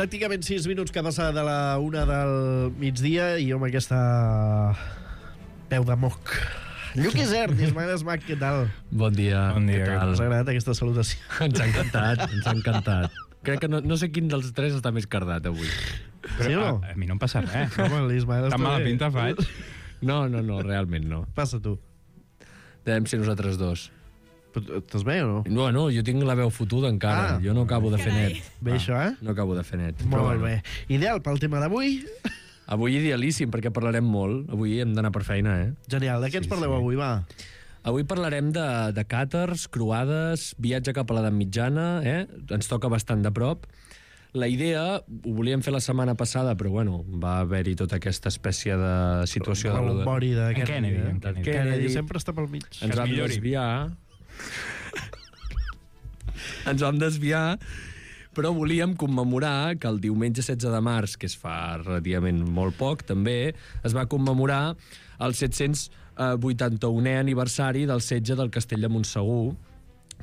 Pràcticament 6 minuts que passa de la 1 del migdia i jo amb aquesta peu de moc. Lluc Isern, Ismael Esmac, què tal? Bon dia. Què Us ha agradat aquesta salutació? Ens ha encantat. Crec que no sé quin dels tres està més cardat avui. Però, sí o no? A mi no em passa res. Home, l'Ismael Tan està mala bé. pinta faig. No, realment no. Passa tu. Devem ser nosaltres dos. Però estàs bé o no? No, jo tinc la veu fotuda encara. Jo no acabo de fer net. Bé, això, eh? No acabo de fer net. Molt bé. Ideal pel tema d'avui? Avui idealíssim, perquè parlarem molt. Avui hem d'anar per feina, eh? Genial. De què ens parleu avui, va? Avui parlarem de càters, croades, viatge cap a l'edat mitjana, Ens toca bastant de prop. La idea, ho volíem fer la setmana passada, però bueno, va haver-hi tota aquesta espècie de situació de... Rebombori d'aquest... Kennedy, en Kennedy sempre està pel mig. Ens vam desviar. Ens vam desviar, però volíem commemorar que el diumenge 16 de març, que es fa relativament molt poc, també, es va commemorar el 781è aniversari del setge del Castell de Montsegur,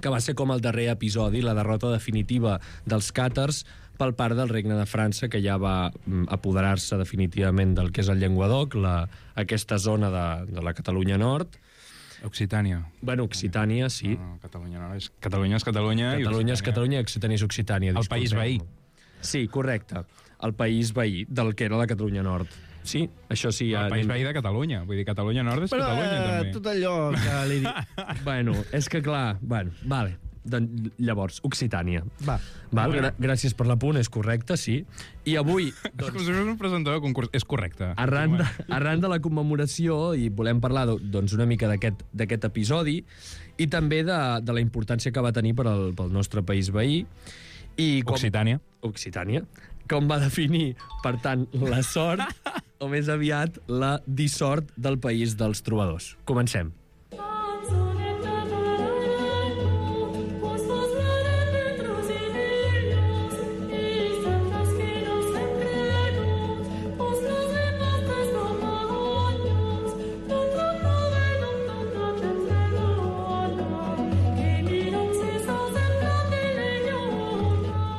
que va ser com el darrer episodi, la derrota definitiva dels càtars per part del Regne de França, que ja va apoderar-se definitivament del que és el Llenguadoc, aquesta zona de la Catalunya Nord. Occitània. Bueno, Occitània, sí. No, Catalunya no. Catalunya és Catalunya. Catalunya és Catalunya i Occitània és Occitània. El país veí. Sí, correcte. El país veí del que era la Catalunya Nord. Sí, això sí. El país veí de Catalunya. Vull dir, Catalunya Nord és Catalunya, també. Tot allò que li dic. Bueno, és que clar... Bueno, vale. Doncs, llavors, Occitània. Val? Gràcies per l'apunt, és correcte, sí. I avui... És com si fos un presentador de concurs. És correcte. Arran de la commemoració, i volem parlar doncs, una mica d'aquest episodi, i també de la importància que va tenir pel nostre país veí. Occitània. Occitània. Com va definir, per tant, la sort, o més aviat, la dissort del país dels trobadors. Comencem.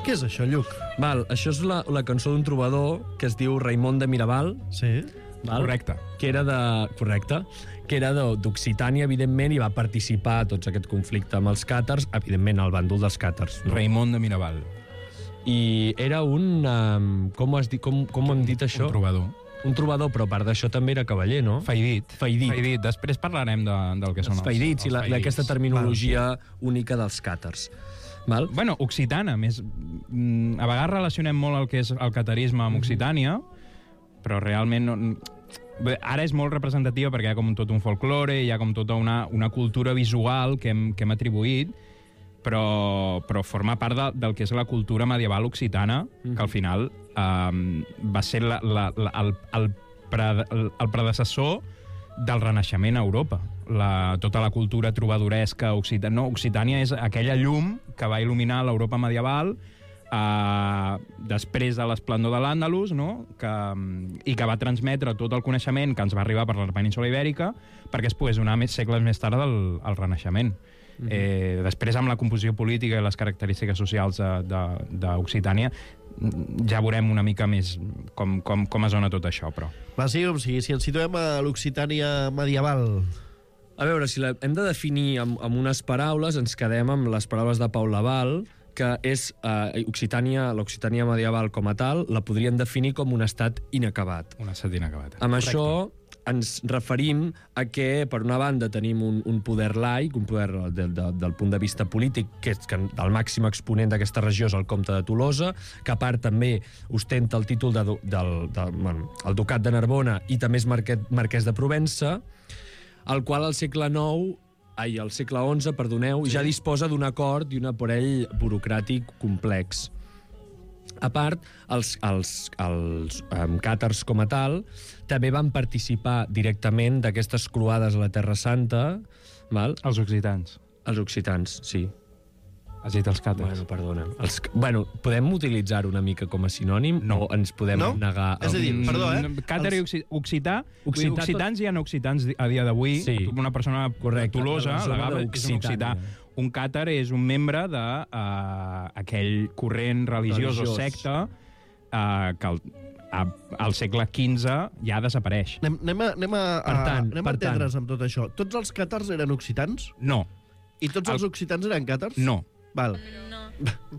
Què és això, Lluc? Val, això és la cançó d'un trobador que es diu Raimon de Miraval. Sí. Val? Correcte. Que era d'Occitània, evidentment, i va participar a tot aquest conflicte amb els càtars, evidentment, al bàndol dels càtars. No? Raimon de Miraval. I era un... Com hem dit això? Un trobador. Un trobador, però a part d'això també era cavaller, no? Faidit. Després parlarem del que són els faidits i d'aquesta terminologia única dels càtars. Val? Bueno, occitana, més... A vegades relacionem molt el que és el catarisme amb Occitània, però realment no... Ara és molt representativa perquè hi ha com tot un folklore, hi ha com tota una cultura visual que hem atribuït, però forma part del que és la cultura medieval occitana, que al final va ser el predecessor del Renaixement a Europa. Tota la cultura trobadoresca occitana. No, Occitània és aquella llum que va il·luminar l'Europa medieval després de l'esplendor de l'Àndalus, no? I que va transmetre tot el coneixement que ens va arribar per la península Ibèrica perquè es pogués donar segles més tard al Renaixement. Després, amb la composició política i les característiques socials d'Occitània, ja veurem una mica més com es dona tot això, però... Va, sí, com sigui, si ens situem a l'Occitània medieval... A veure, si hem de definir amb unes paraules, ens quedem amb les paraules de Pau Laval, que és l'Occitània medieval com a tal, la podríem definir com un estat inacabat. Un estat inacabat. Amb això ens referim a que, per una banda, tenim un poder laic, un poder del punt de vista polític, que és que el màxim exponent d'aquesta regió és el comte de Tolosa, que a part també ostenta el títol el ducat de Narbona i també és marquès de Provença, el qual al segle XI, perdoneu, ja disposa d'un acord i un aparell burocràtic complex. A part, els càtars com a tal també van participar directament d'aquestes croades a la Terra Santa. Val? Els occitans. Els occitans, sí. Has dit els càtars. Bueno, perdona. Podem utilitzar una mica com a sinònim o ens podem negar... És a dir, perdó, Càtar i occità. Occitans hi ha occitans a dia d'avui. Sí. Una persona de Tolosa, la Gava, és un occità. Un càtar és un membre d'aquell corrent religiós o secta que al segle XV ja desapareix. Anem a entendre's amb tot això. Tots els càtars eren occitans? No. I tots els occitans eren càtars? No. Val. No.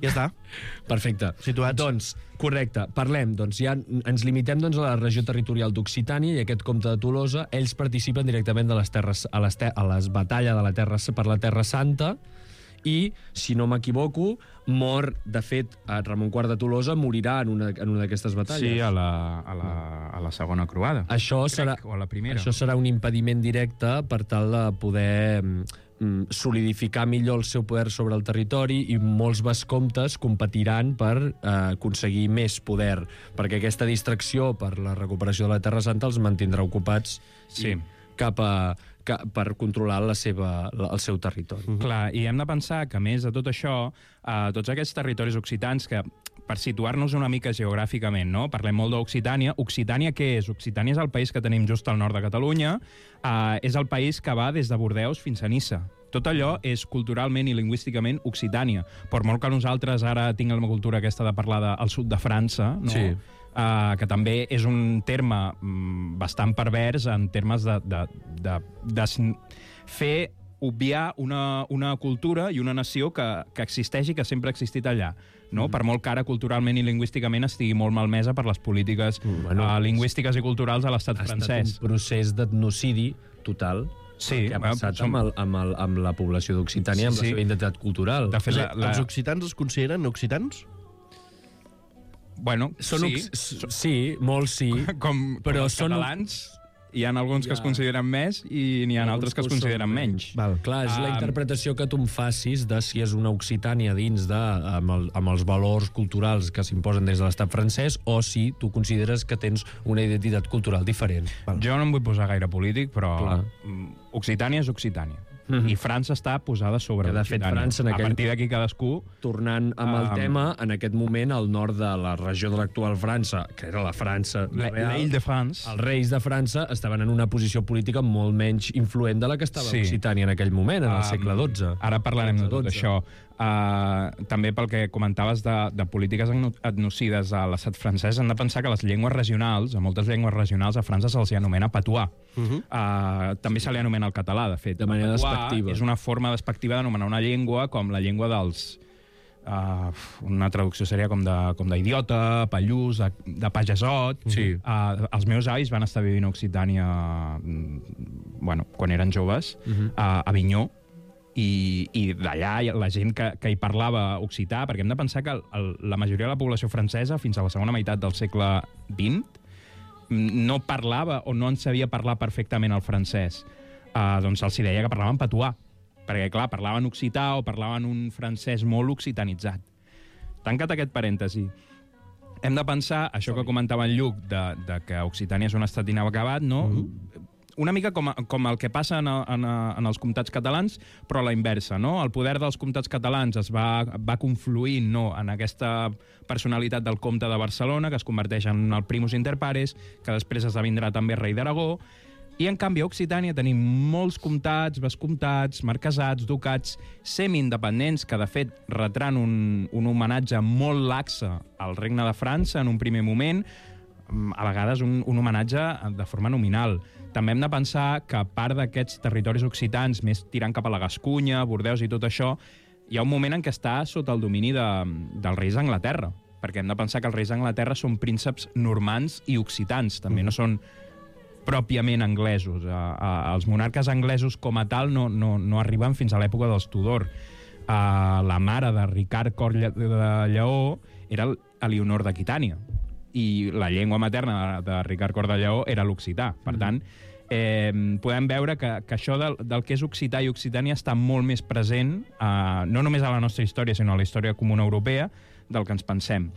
Ja està. Perfecte. Situats. Doncs, correcte, parlem. Doncs ja ens limitem a la regió territorial d'Occitània i aquest comte de Tolosa, ells participen directament de les terres, a les batalles de la terra, per la Terra Santa, i, si no m'equivoco, mor, de fet, Ramon IV de Tolosa morirà en una d'aquestes batalles. Sí, a la segona croada. Això serà, o a la primera. Això serà un impediment directe per tal de poder solidificar millor el seu poder sobre el territori, i molts vescomtes competiran per aconseguir més poder, perquè aquesta distracció per la recuperació de la Terra Santa els mantindrà ocupats per controlar el seu territori. Clar, i hem de pensar que, a més de tot això, tots aquests territoris occitans, que per situar-nos una mica geogràficament, no? Parlem molt d'Occitània. Occitània què és? Occitània és el país que tenim just al nord de Catalunya, és el país que va des de Bordeus fins a Niça. Tot allò és culturalment i lingüísticament Occitània. Per molt que nosaltres ara tinguem la cultura aquesta de parlar del sud de França, no? Sí. Que també és un terme bastant pervers en termes de fer obviar una cultura i una nació que existeix i que sempre ha existit allà. No? Per molt que ara culturalment i lingüísticament estigui molt malmesa per les polítiques lingüístiques i culturals a l'estat francès. Ha estat un procés d'etnocidi total, sí, que ha passat amb la població d'Occitània, amb la seva identitat cultural. De fet, Els occitans es consideren occitans? Bueno, sí, molts sí. Però els catalans hi ha alguns que es consideren més i n'hi ha altres que es consideren menys. Val. Clar, és la interpretació que tu em facis de si és una Occitània dins amb els valors culturals que s'imposen des de l'estat francès, o si tu consideres que tens una identitat cultural diferent. Val. Jo no em vull posar gaire polític, però Occitània és Occitània. I França està posada sobre Occitània. A partir d'aquí cadascú... Tornant amb el tema, en aquest moment, al nord de la regió de l'actual França, que era la França real, l'Île-de-France, els reis de França estaven en una posició política molt menys influent de la que estava Occitània en aquell moment, en el segle XII. Ara parlarem de tot això. També pel que comentaves de polítiques etnocides a l'estat francès, hem de pensar que les llengües regionals, a moltes llengües regionals a França se'ls anomena patois. També se li anomena el català, de fet. De manera despectiva. És una forma despectiva d'anomenar una llengua com la llengua dels... una traducció seria com d'idiota, pallús, de pagesot. Sí. Els meus avis van estar vivint a Occitània quan eren joves, a Avinyó, i d'allà la gent que hi parlava occità, perquè hem de pensar que la majoria de la població francesa, fins a la segona meitat del segle XX, no parlava o no en sabia parlar perfectament el francès. Doncs els deia que parlaven patois, perquè, clar, parlaven occità o parlaven un francès molt occitanitzat. Tancat aquest parèntesi, hem de pensar, això que comentava en Lluc, de que Occitània és un estat inacabat, no? Una mica com el que passa en els comtats catalans, però a la inversa, no? El poder dels comtats catalans es va confluint, no, en aquesta personalitat del comte de Barcelona, que es converteix en el primus inter pares, que després esdevindrà també rei d'Aragó, i en canvi a Occitània tenim molts comtats, vescomtats, marquesats, ducats, semi-independents, que de fet retran un homenatge molt laxe al regne de França en un primer moment, a vegades un homenatge de forma nominal. També hem de pensar que a part d'aquests territoris occitans, més tirant cap a la Gascunya, Bordeus i tot això, hi ha un moment en què està sota el domini dels reis d'Anglaterra, perquè hem de pensar que els reis d'Anglaterra són prínceps normands i occitans, també no són pròpiament anglesos. Els monarques anglesos com a tal no arriben fins a l'època dels Tudor. La mare de Ricard Cor de Lleó era Elionor d'Aquitània, i la llengua materna de Ricard Cor de Lleó era l'occità. Per tant, podem veure que això del que és occità i Occitània està molt més present, no només a la nostra història, sinó a la història comuna europea, del que ens pensem.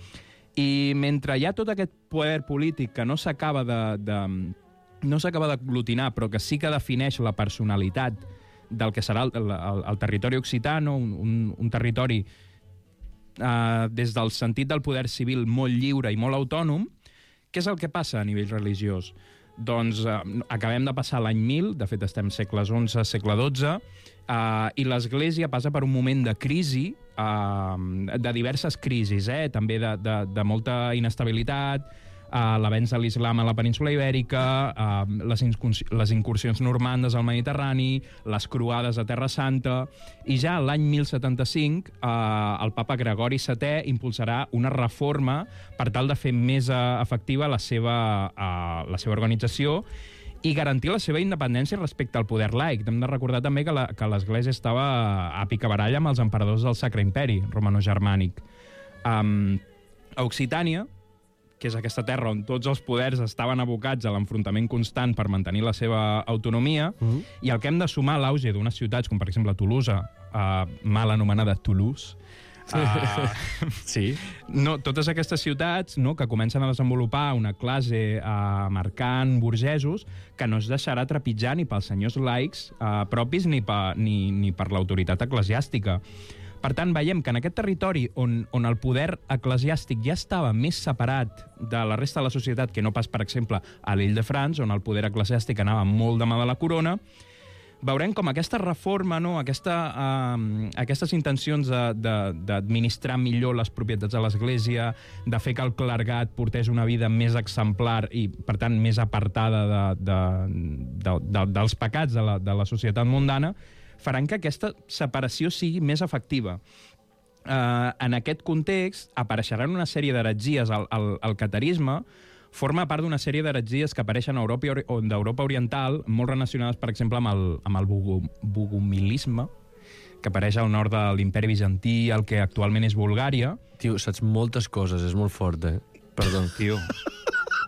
I mentre hi ha tot aquest poder polític que no s'acaba d'aglutinar, però que sí que defineix la personalitat del que serà el territori occità, no? Un territori des del sentit del poder civil molt lliure i molt autònom. Què és el que passa a nivell religiós? Doncs acabem de passar l'any 1000, de fet estem segles XI, segle XII, i l'Església passa per un moment de crisi, de diverses crisis, també de molta inestabilitat, l'avenç de l'islam a la península Ibèrica, les incursions normandes al Mediterrani, les croades a Terra Santa, i ja l'any 1075 el papa Gregori VII impulsarà una reforma per tal de fer més efectiva la seva organització i garantir la seva independència respecte al poder laic. Hem de recordar també que l'Església estava a picabaralla amb els emperadors del Sacre Imperi Romano-Germànic. A Occitània, que és aquesta terra on tots els poders estaven abocats a l'enfrontament constant per mantenir la seva autonomia, i el que hem de sumar a l'auge d'unes ciutats, com per exemple Tolosa, mal anomenada Toulouse, sí. No, totes aquestes ciutats, no, que comencen a desenvolupar una classe mercant, burgesos, que no es deixarà trepitjar ni pels senyors laics propis ni per l'autoritat eclesiàstica. Per tant, veiem que en aquest territori on el poder eclesiàstic ja estava més separat de la resta de la societat que no pas, per exemple, a l'Île-de-France, on el poder eclesiàstic anava molt de mà de la corona, veurem com aquesta reforma, no, aquestes intencions d'administrar millor les propietats de l'Església, de fer que el clergat portés una vida més exemplar i, per tant, més apartada dels pecats de la societat mundana, faran que aquesta separació sigui més efectiva. En aquest context apareixeran una sèrie d'heretgies. El catarisme forma part d'una sèrie d'heretgies que apareixen a d'Europa Oriental, molt relacionades, per exemple, amb el bogomilisme, que apareix al nord de l'imperi bizantí, el que actualment és Bulgària. Tio, saps moltes coses, és molt fort, Perdó. Tio,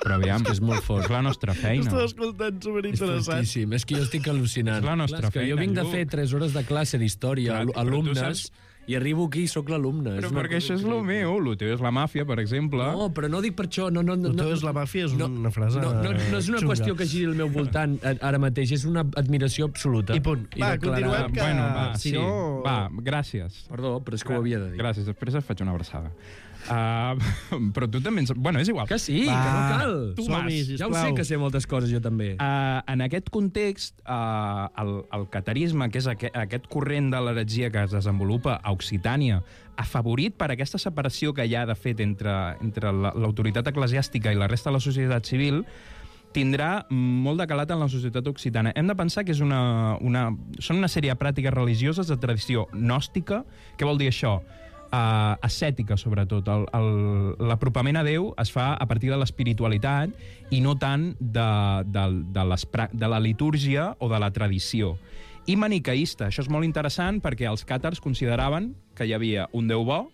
però aviam, és molt fort. És la nostra feina. Estava escoltant, superinteressant. És fortíssim, és que jo estic al·lucinant. És la nostra feina. Jo vinc de fer 3 hores de classe d'història, alumnes, i arribo aquí i sóc l'alumne. Però perquè això és el meu, el teu és la màfia, per exemple. No, però no dic per això. No, el teu és la màfia, és una frase no és una qüestió que giri al meu voltant ara mateix, és una admiració absoluta. I punt. Va, continuem que... Bueno, si no... Va, gràcies. Perdó, però és que ho havia de dir. Gràcies, després et faig una abraçada. Però tu també... Bueno, és igual. Que sí, que no cal. Ja ho sé que sé moltes coses jo també. En aquest context, el catarisme, que és aquest corrent de l'heretgia que es desenvolupa a Occitània, afavorit per aquesta separació que hi ha, de fet, entre l'autoritat eclesiàstica i la resta de la societat civil, tindrà molt de calat en la societat occitana. Hem de pensar que són una sèrie de pràctiques religioses de tradició gnòstica. Què vol dir això? Ascètica, sobretot. L'apropament a Déu es fa a partir de l'espiritualitat i no tant de la litúrgia o de la tradició. I maniqueista. Això és molt interessant perquè els càtars consideraven que hi havia un Déu bo,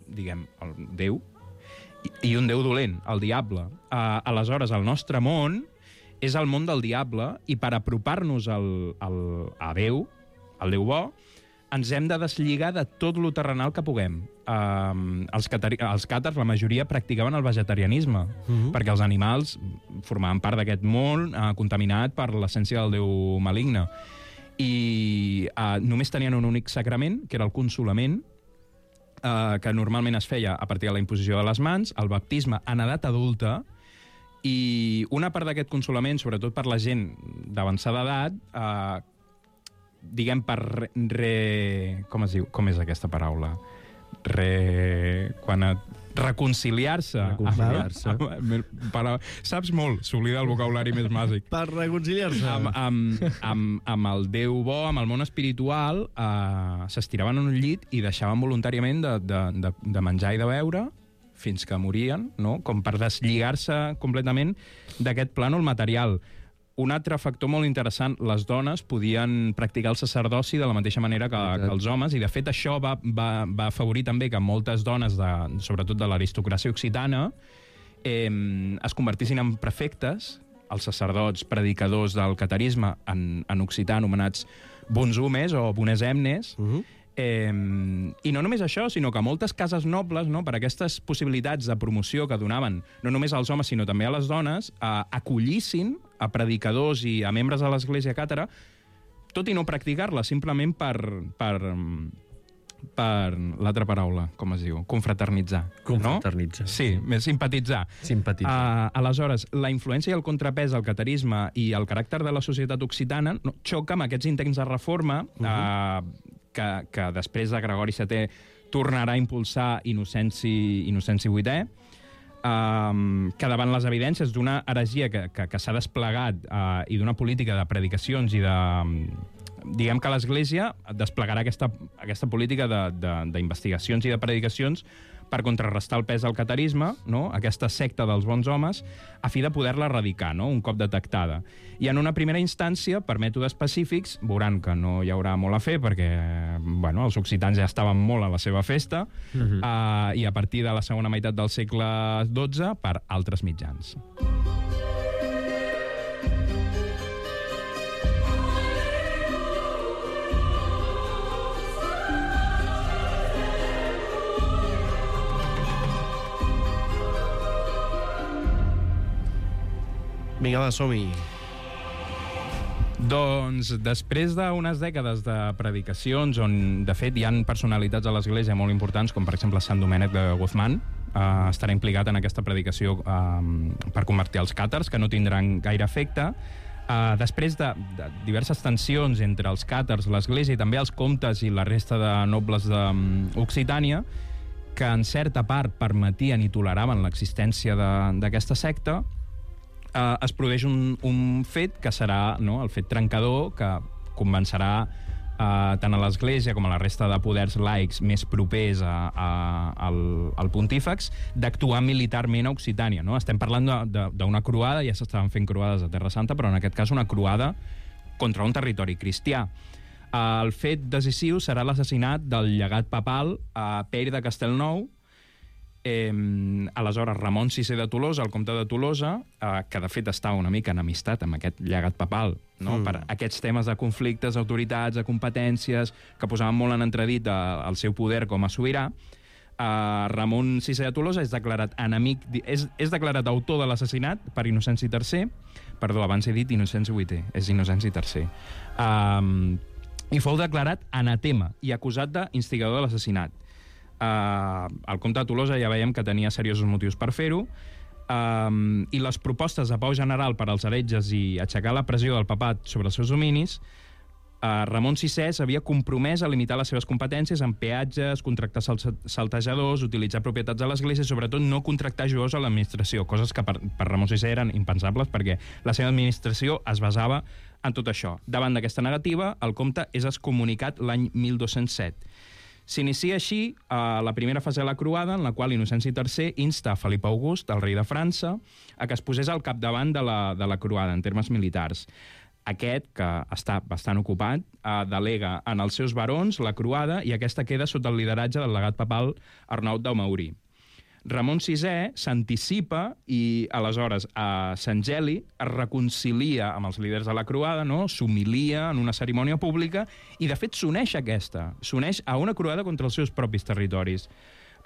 diguem, el Déu, i un Déu dolent, el diable. Aleshores, el nostre món és el món del diable i per apropar-nos a Déu, al Déu bo, ens hem de deslligar de tot lo terrenal que puguem. Els càtars, la majoria, practicaven el vegetarianisme, perquè els animals formaven part d'aquest món contaminat per l'essència del Déu maligne. I només tenien un únic sacrament, que era el consolament, que normalment es feia a partir de la imposició de les mans, el baptisme en edat adulta, i una part d'aquest consolament, sobretot per la gent d'avançada edat, diguem, per com es diu? Com és aquesta paraula? Reconciliar-se. Saps molt, s'oblida el vocabulari més bàsic. Per reconciliar-se. Amb el Déu bo, amb el món espiritual, s'estiraven en un llit i deixaven voluntàriament de menjar i de beure fins que morien, no? Com per deslligar-se completament d'aquest plànol material. Un altre factor molt interessant, les dones podien practicar el sacerdoci de la mateixa manera que els homes, i de fet això va afavorir també que moltes dones, sobretot de l'aristocràcia occitana, es convertissin en prefectes, els sacerdots predicadors del catarisme en occità anomenats bonsumes o bonesemnes. I no només això, sinó que moltes cases nobles, no, per aquestes possibilitats de promoció que donaven no només als homes sinó també a les dones, acollissin a predicadors i a membres de l'església càtara, tot i no practicar-la, simplement per per l'altra paraula, com es diu? Confraternitzar. Confraternitzar. No? Sí, més simpatitzar. Aleshores, la influència i el contrapès del catarisme i el caràcter de la societat occitana xoca amb aquests intents de reforma que després de Gregori VII tornarà a impulsar Inocenci VIII, que davant les evidències d'una heresia que s'ha desplegat i d'una política de predicacions i de... Diguem que l'Església desplegarà aquesta política d'investigacions i de predicacions per contrarrestar el pes del catarisme, no? Aquesta secta dels bons homes, a fi de poder-la erradicar, no? Un cop detectada. I en una primera instància, per mètodes específics, veuran que no hi haurà molt a fer perquè els occitans ja estaven molt a la seva festa, i a partir de la segona meitat del segle XII per altres mitjans. Vinga, va, som-hi. Doncs després d'unes dècades de predicacions on, de fet, hi han personalitats a l'Església molt importants, com per exemple Sant Domènec de Guzmán, estarà implicat en aquesta predicació per convertir els càtars, que no tindran gaire efecte. Després de diverses tensions entre els càtars, l'Església i també els comtes i la resta de nobles d'Occitània, que en certa part permetien i toleraven l'existència d'aquesta secta, es produeix un fet que serà el fet trencador, que convencerà tant a l'Església com a la resta de poders laics més propers al pontífex d'actuar militarment a Occitània. No? Estem parlant d'una croada, ja s'estaven fent croades a Terra Santa, però en aquest cas una croada contra un territori cristià. El fet decisiu serà l'assassinat del llegat papal a Pere de Castelnou. Aleshores, Ramon VI de Tolosa, el comte de Tolosa, que de fet està una mica enemistat amb aquest llegat papal, no? Per aquests temes de conflictes d'autoritats, de competències, que posaven molt en entredit el seu poder com a sobirà, Ramon VI de Tolosa és declarat enemic, és declarat autor de l'assassinat per Inocenci III, perdó, abans he dit Inocenci VIII, és Inocenci III, i fou declarat anatema i acusat d'instigador de l'assassinat. El comte de Tolosa ja veiem que tenia seriosos motius per fer-ho, i les propostes de pau general per als heretges i aixecar la pressió del papat sobre els seus dominis, Ramon VI s'havia compromès a limitar les seves competències en peatges, contractar saltejadors, utilitzar propietats de l'Església i sobretot no contractar jueus a l'administració, coses que per Ramon VI eren impensables perquè la seva administració es basava en tot això. Davant d'aquesta negativa, el comte és excomunicat l'any 1207. S'inicia així la primera fase de la croada, en la qual Inocenci III insta a Felip August, el rei de França, a que es posés al capdavant de la croada en termes militars. Aquest, que està bastant ocupat, delega en els seus barons la croada i aquesta queda sota el lideratge del legat papal Arnaut d'Amaurí. Ramon VI s'anticipa i, aleshores, a Sant Geli es reconcilia amb els líders de la croada, no? S'humilia en una cerimònia pública i, de fet, s'uneix a una croada contra els seus propis territoris.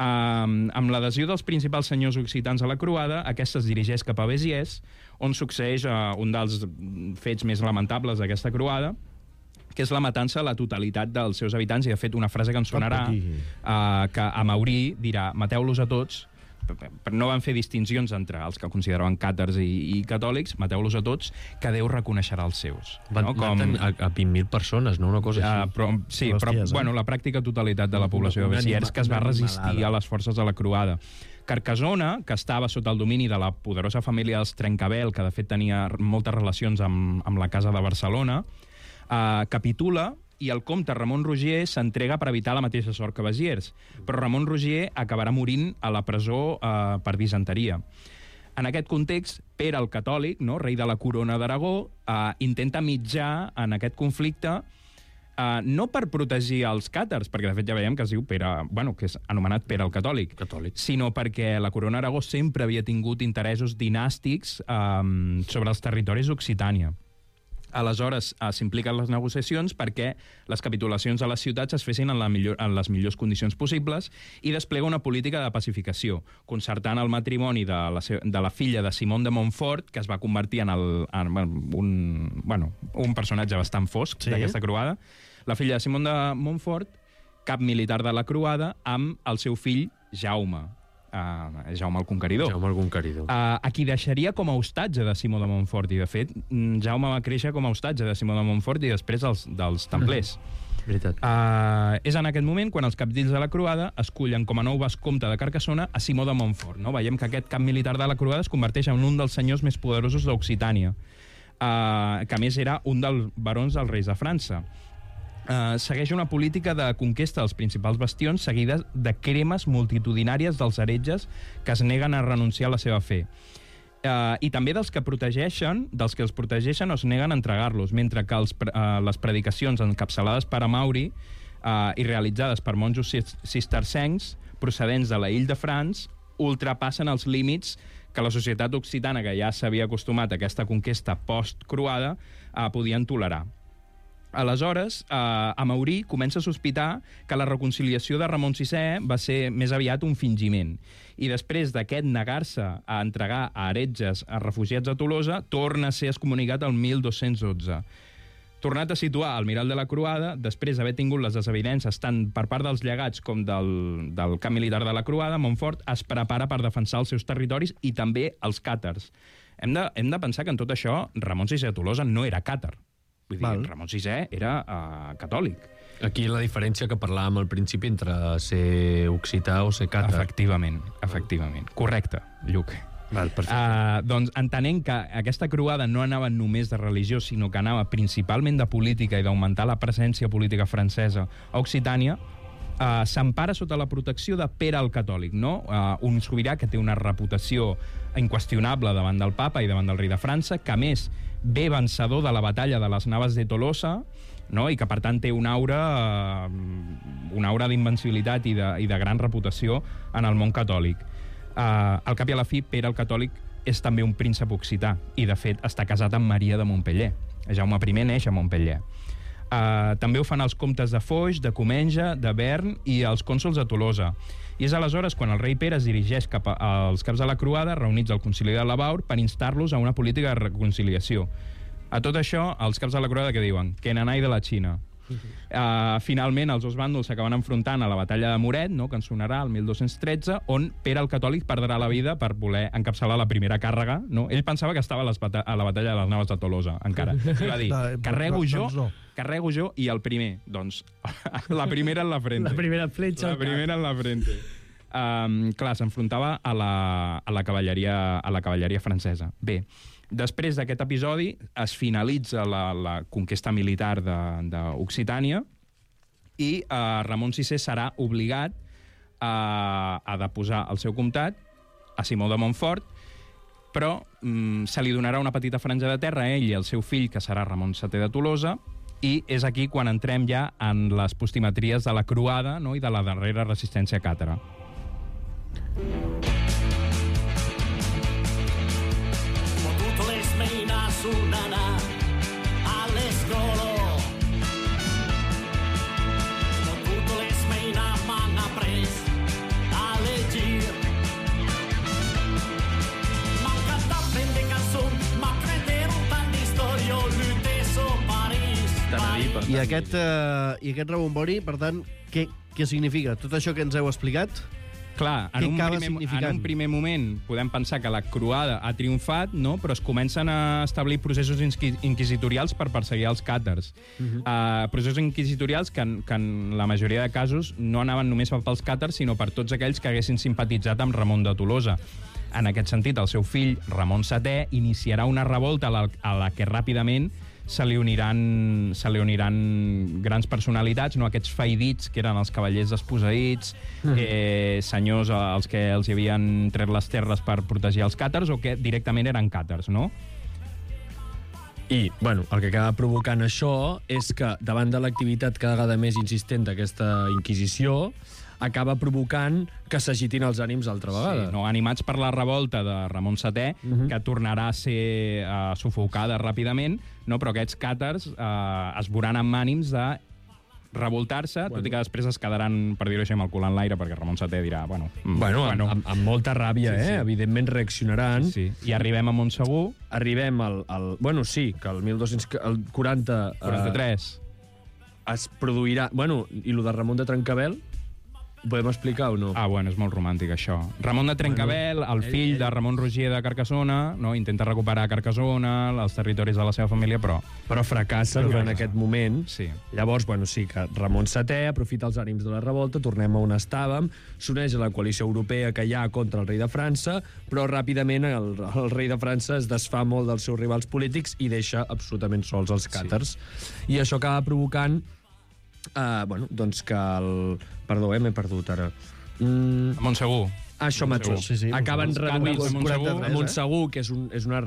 Amb l'adhesió dels principals senyors occitans a la croada, aquesta es dirigeix cap a Béziers, on succeeix un dels fets més lamentables d'aquesta croada, que és la matança a la totalitat dels seus habitants, i de fet una frase que ens sonarà, que Amaurí dirà: mateu-los a tots, no van fer distincions entre els que consideraven càtars i catòlics, mateu-los a tots, que Déu reconeixerà els seus. Van a 20.000 persones, no? Una cosa així. Però la pràctica totalitat de la població de Béziers que es va resistir a les forces de la croada. Carcassona, que estava sota el domini de la poderosa família dels Trencabel, que de fet tenia moltes relacions amb la Casa de Barcelona, capitula i el comte Ramon Roger s'entrega per evitar la mateixa sort que Béziers. Però Ramon Roger acabarà morint a la presó per disenteria. En aquest context, Pere el Catòlic, no, rei de la corona d'Aragó, intenta mitjar en aquest conflicte, no per protegir els càtars, perquè de fet ja veiem que es diu Pere, que és anomenat Pere el Catòlic, sinó perquè la corona d'Aragó sempre havia tingut interessos dinàstics sobre els territoris d'Occitània. Aleshores, s'impliquen les negociacions perquè les capitulacions a les ciutats es fessin en les millors condicions possibles i desplega una política de pacificació, concertant el matrimoni de la filla de Simón de Montfort, que es va convertir en un personatge bastant fosc d'aquesta croada, la filla de Simón de Montfort, cap militar de la Croada, amb el seu fill Jaume. Jaume el Conqueridor. Jaume el Conqueridor. A qui deixaria com a hostatge de Simó de Montfort. I, de fet, Jaume va créixer com a hostatge de Simó de Montfort i després dels templers. Veritat. És en aquest moment quan els capdills de la Croada escullen com a nou vescomte de Carcassona a Simó de Montfort. No? Veiem que aquest cap militar de la Croada es converteix en un dels senyors més poderosos d'Occitània, que a més era un dels barons dels reis de França. Segueix una política de conquesta dels principals bastions seguida de cremes multitudinàries dels heretges que es neguen a renunciar a la seva fe. I també dels que els protegeixen o es neguen a entregar-los, mentre que les predicacions encapçalades per Amaury i realitzades per monjos cistercencs procedents de la Ile de France ultrapassen els límits que la societat occitana, que ja s'havia acostumat a aquesta conquesta post-croada, podien tolerar. Aleshores, Amaury comença a sospitar que la reconciliació de Ramon VI va ser més aviat un fingiment. I després d'aquest negar-se a entregar a heretges a refugiats a Tolosa, torna a ser excomunicat el 1212. Tornat a situar al Miral de la Croada, després d'haver tingut les desavinences tant per part dels llegats com del camp militar de la Croada, Montfort es prepara per defensar els seus territoris i també els càtars. Hem de pensar que en tot això Ramon VI de Tolosa no era càtar. Vull dir, Ramon VI era catòlic. Aquí la diferència que parlàvem al principi entre ser occità o ser càtar. Efectivament. Correcte, Lluc. Val, perfecte. Doncs entenent que aquesta croada no anava només de religió, sinó que anava principalment de política i d'augmentar la presència política francesa a Occitània, s'empara sota la protecció de Pere el Catòlic, no? Un sobirà que té una reputació inqüestionable davant del papa i davant del rei de França, que a més ve vencedor de la batalla de les Naves de Tolosa, no? I que per tant té una aura d'invencibilitat i de gran reputació en el món catòlic. Al cap i a la fi, Pere el Catòlic és també un príncep occità i, de fet, està casat amb Maria de Montpellier. Jaume I neix a Montpellier. També ho fan els comtes de Foix, de Comenge, de Bern i els cònsols de Tolosa. I és aleshores quan el rei Pere es dirigeix cap als caps de la Croada, reunits al concili de Lavaur, per instar-los a una política de reconciliació. A tot això, els caps de la Croada què diuen? Que nanai de la Xina. Finalment, els dos bàndols s'acaben enfrontant a la batalla de Moret, no?, que en sonarà el 1213, on Pere el Catòlic perdrà la vida per voler encapçalar la primera càrrega. No? Ell pensava que estava a la batalla de les Naves de Tolosa, encara. I va dir, carrego jo i el primer. Doncs la primera en la frente. La primera fletxa. La primera en la frente. Clar, s'enfrontava a la cavalleria francesa. Bé, després d'aquest episodi es finalitza la conquesta militar d'Occitània i Ramon VI serà obligat a deposar el seu comtat a Simó de Montfort, però se li donarà una petita franja de terra a ell i al seu fill, que serà Ramon VII de Tolosa, i és aquí quan entrem ja en les postimetries de la Croada, no?, i de la darrera resistència càtara. I aquest rebombori, per tant, què significa? Tot això que ens heu explicat? Clar, en un primer moment podem pensar que la Croada ha triomfat, no? Però es comencen a establir processos inquisitorials per perseguir els càtars. Processos inquisitorials que en la majoria de casos no anaven només pels càtars, sinó per tots aquells que haguessin simpatitzat amb Ramon de Tolosa. En aquest sentit, el seu fill, Ramon VII, iniciarà una revolta a la que ràpidament se li uniran grans personalitats, no? Aquests feidits, que eren els cavallers desposseïts, senyors als que els havien tret les terres per protegir els càtars, o que directament eren càtars, no? I, bueno, el que acaba provocant això és que, davant de l'activitat cada vegada més insistent d'aquesta Inquisició, acaba provocant que s'agitin els ànims altra vegada. Sí, no? Animats per la revolta de Ramon VII, que tornarà a ser sufocada ràpidament, no? Però aquests càtars es veuran amb ànims de revoltar-se, tot i que després es quedaran, per dir-ho així, amb el cul en l'aire, perquè Ramon VII dirà, amb molta ràbia, sí. Evidentment reaccionaran. Sí. I arribem a Montsegur. Arribem al... Bueno, sí, que el 1240... 43. es produirà... Bueno, i lo de Ramon de Trencabel, ho podem explicar o no? Bueno, és molt romàntic, això. Ramon de Trencabel, el fill de Ramon Roger de Carcassona, no? Intenta recuperar Carcassona, els territoris de la seva família, però fracassa durant aquest moment. Sí. Llavors, sí que Ramon VII aprofita els ànims de la revolta, tornem a on estàvem, s'uneix a la coalició europea que hi ha contra el rei de França, però ràpidament el rei de França es desfà molt dels seus rivals polítics i deixa absolutament sols els càtars. Sí. I això acaba provocant doncs que el... Perdó, m'he perdut ara. Montsegur. Això mateix. Sí, Acaben reduïts a Montsegur, que és una...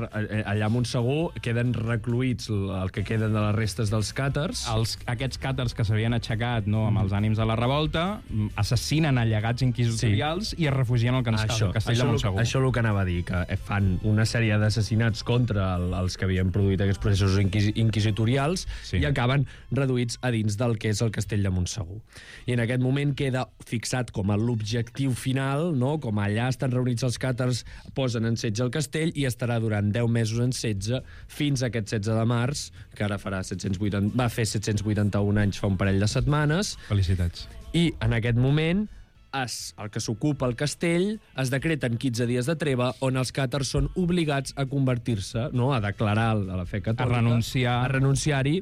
Allà a Montsegur queden recluïts el que queden de les restes dels càtars. Aquests càtars que s'havien aixecat amb els ànims de la revolta assassinen allegats inquisitorials i es refugien al castell de Montsegur. Això és el que anava a dir, que fan una sèrie d'assassinats contra els que havien produït aquests processos inquisitorials i acaben reduïts a dins del que és el castell de Montsegur. I en aquest moment queda fixat com a l'objectiu final, no?, com allà estan reunits els càtars, posen en setge el castell i estarà durant 10 mesos en setge fins a aquest 16 de març, que ara va fer 781 anys fa un parell de setmanes. Felicitats. I en aquest moment el que s'ocupa el castell es decreten 15 dies de treva on els càtars són obligats a convertir-se, a declarar a la fe catòlica, a renunciar-hi,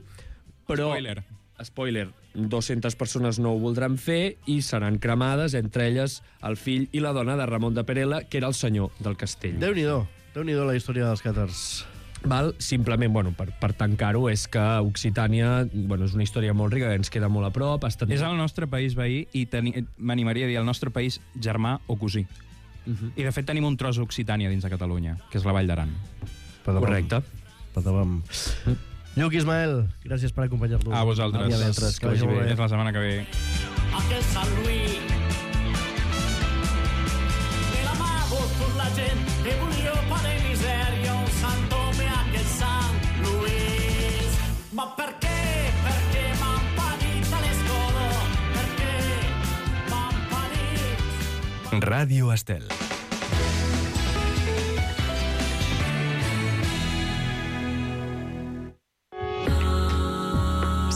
però... Spoiler, 200 persones no ho voldran fer i seran cremades, entre elles el fill i la dona de Ramon de Perela, que era el senyor del castell. Déu-n'hi-do la història dels càtars. Simplement, per tancar-ho, és que Occitània és una història molt rica, que ens queda molt a prop. És el nostre país veí i m'animaria a dir el nostre país germà o cosí. I de fet tenim un tros d'Occitània dins de Catalunya, que és la Vall d'Aran. Correcte. Lluc, Ismael, gràcies per acompanyar-nos. A vosaltres. Que vagi bé. Fins la setmana que ve. Aquel San Luis de la mà per la gent que volia pa de misèria un Sant Home, aquell Sant Luis. Ma per què? Perquè m'han parit a l'escola. Per què m'han parit? Ràdio Estel.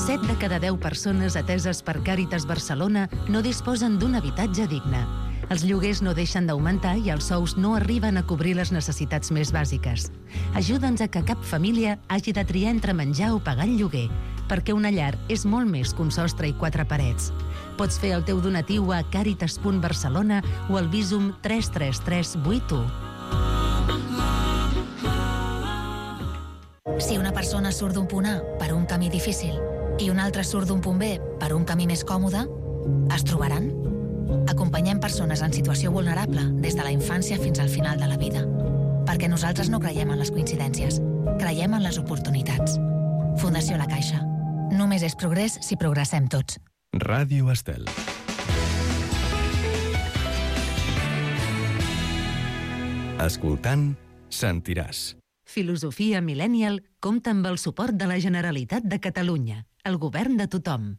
Set de cada 10 persones ateses per Càritas Barcelona no disposen d'un habitatge digne. Els lloguers no deixen d'augmentar i els sous no arriben a cobrir les necessitats més bàsiques. Ajuda'ns a que cap família hagi de triar entre menjar o pagar el lloguer, perquè una llar és molt més que un sostre i 4 parets. Pots fer el teu donatiu a caritas.barcelona o al Bizum 33381. Si una persona surt d'un punt A per un camí difícil i una altra surt d'un punt B per un camí més còmode, es trobaran? Acompanyem persones en situació vulnerable des de la infància fins al final de la vida. Perquè nosaltres no creiem en les coincidències, creiem en les oportunitats. Fundació La Caixa. Només és progrés si progressem tots. Ràdio Estel. Escoltant, sentiràs. Filosofia Millennial compta amb el suport de la Generalitat de Catalunya, el govern de tothom.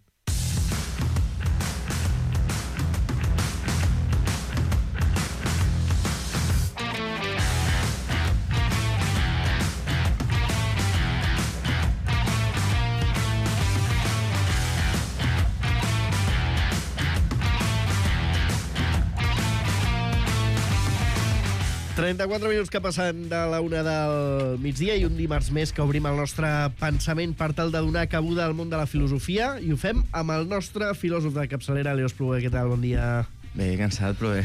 ...34 minuts que passen de la 1 del migdia i un dimarts més que obrim el nostre pensament per tal de donar cabuda al món de la filosofia i ho fem amb el nostre filòsof de capçalera, Leo Espluguer. Què tal? Bon dia. Bé, cansat, però bé.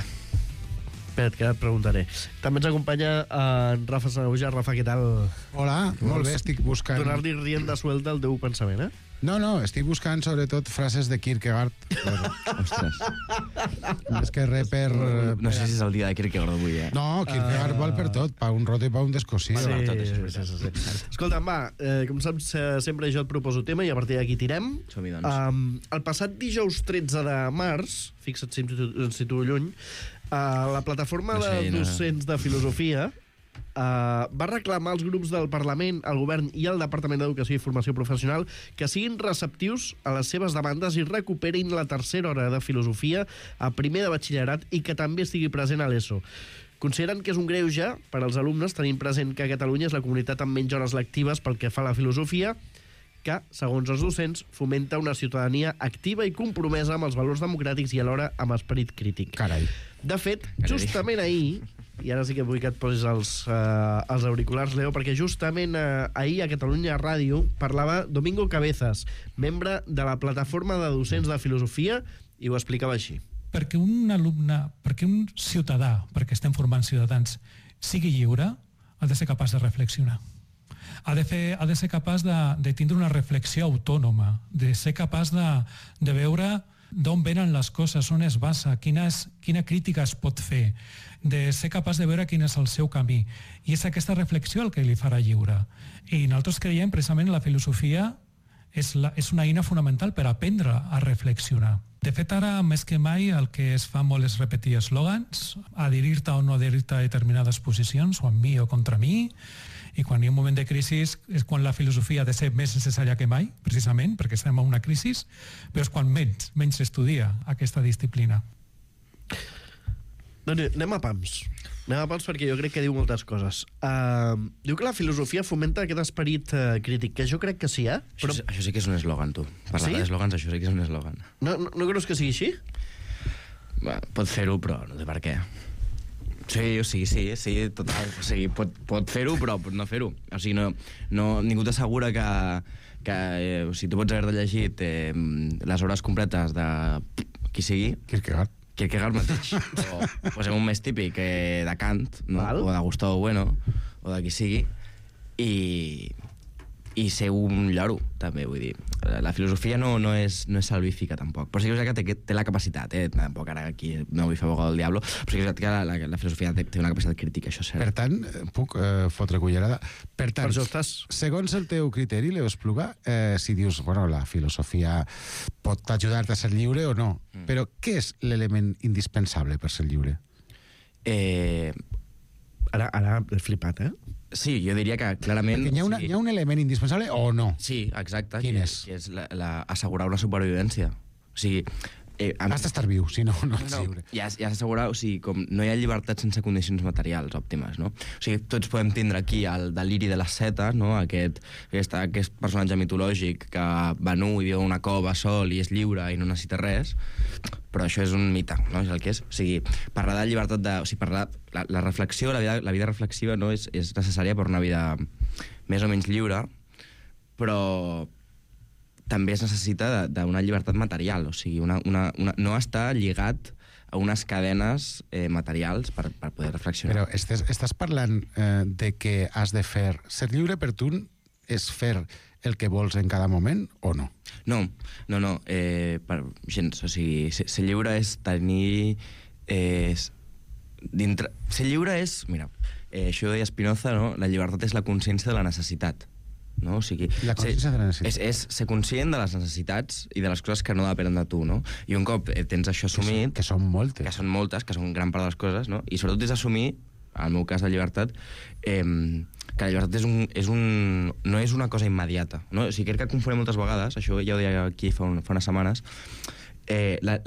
Espera't, que et preguntaré. També ens acompanya en Rafa Sanahuja. Rafa, què tal? Hola, molt bé, estic buscant... Donar-li rienda suelta al teu pensament, eh? No, estic buscant sobretot frases de Kierkegaard. Ostres. És que per... No sé si és el dia de Kierkegaard avui, eh? No, Kierkegaard val per tot, pa un roto i pa un descossit. Sí. Escolta'm, va, com saps, sempre jo et proposo tema i a partir d'aquí tirem. Som-hi, doncs. El passat dijous 13 de març, fixa't si em situo lluny, la plataforma de docents de filosofia va reclamar als grups del Parlament, al Govern i al Departament d'Educació i Formació Professional que siguin receptius a les seves demandes i recuperin la tercera hora de filosofia a primer de batxillerat i que també estigui present a l'ESO. Consideren que és un greuge per als alumnes, tenint present que Catalunya és la comunitat amb menys hores lectives pel que fa a la filosofia, que, segons els docents, fomenta una ciutadania activa i compromesa amb els valors democràtics i alhora amb esperit crític. Carai. De fet, justament ahir, i ara sí que vull que et posis els auriculars, Leo, perquè justament ahir a Catalunya Ràdio parlava Domingo Cabezas, membre de la plataforma de docents de filosofia, i ho explicava així. Perquè un alumne, perquè un ciutadà, perquè estem formant ciutadans, sigui lliure, ha de ser capaç de reflexionar. Ha de ser capaç de tindre una reflexió autònoma, de ser capaç de veure d'on venen les coses, on es basa, quina crítica es pot fer, de ser capaç de veure quin és el seu camí. I és aquesta reflexió el que li farà lliure. I nosaltres creiem precisament la filosofia és una eina fonamental per aprendre a reflexionar. De fet, ara, més que mai, el que es fa molt és repetir eslògans, adherir-te o no adherir-te a determinades posicions, o amb mi o contra mi, i quan hi ha un moment de crisi és quan la filosofia ha de ser més necessària que mai, precisament, perquè estem en una crisi, però és quan menys s'estudia aquesta disciplina. Doncs anem a pams. Anem a pams perquè jo crec que diu moltes coses. Diu que la filosofia fomenta aquest esperit crític, que jo crec que sí, Però... Això sí que és un eslògan, tu. Parlar d'eslògans, això sí que és un eslògan. No creus que sigui així? Pot fer-ho, però no sé per què. Sí, total. O sigui, pot fer-ho, però pot no fer-ho. O sigui, ningú t'assegura que o sigui, tu pots haver-te llegit les obres completes de qui sigui. Kierkegaard mateix. O posem un més típic de Kant, no? O de Gustavo Bueno, o de qui sigui, i ser un lloro, també, vull dir. La filosofia no és salvífica, tampoc. Però sí que té la capacitat, tampoc ara aquí no vull fer abogado del diablo, però sí que la filosofia té una capacitat crítica, això és cert. Per tant, puc fotre cullerada. Per tant, segons el teu criteri, Leo Espluga, si dius, bueno, la filosofia pot ajudar-te a ser lliure o no, però què és l'element indispensable per ser lliure? Ara he flipat, Sí, jo diria que clarament... Perquè hi ha un element indispensable o no? Sí, exacte. Quin és? Que és assegurar una supervivència. O sigui... Has d'estar viu, si no ets lliure. I has d'assegurar, o sigui, com no hi ha llibertat sense condicions materials òptimes, no? O sigui, tots podem tindre aquí el deliri de les setes, no? Aquest personatge mitològic que va nu i viu en una cova sol i és lliure i no necessita res, però això és un mite, no? És el que és. O sigui, parlar de llibertat o sigui, parlar... La reflexió, la vida reflexiva, no? És necessària per una vida més o menys lliure, però també es necessita d'una llibertat material, o sigui, no està lligat a unes cadenes materials per poder reflexionar. Però estàs parlant de que has de fer... Ser lliure per tu és fer el que vols en cada moment o no? No, gens. O sigui, ser lliure és tenir... Ser lliure és... Mira, això deia Spinoza, no? La llibertat és la consciència de la necessitat. No? O sigui, la consciència de la necessitat. És ser conscient de les necessitats i de les coses que no depenen de tu, no? I un cop tens això assumit... Que són moltes. Que són moltes, que són gran part de les coses, no? I sobretot és assumir, en el meu cas, la llibertat, que la llibertat no és una cosa immediata, no? O sigui, crec que confonem moltes vegades, això ja ho deia aquí fa unes setmanes,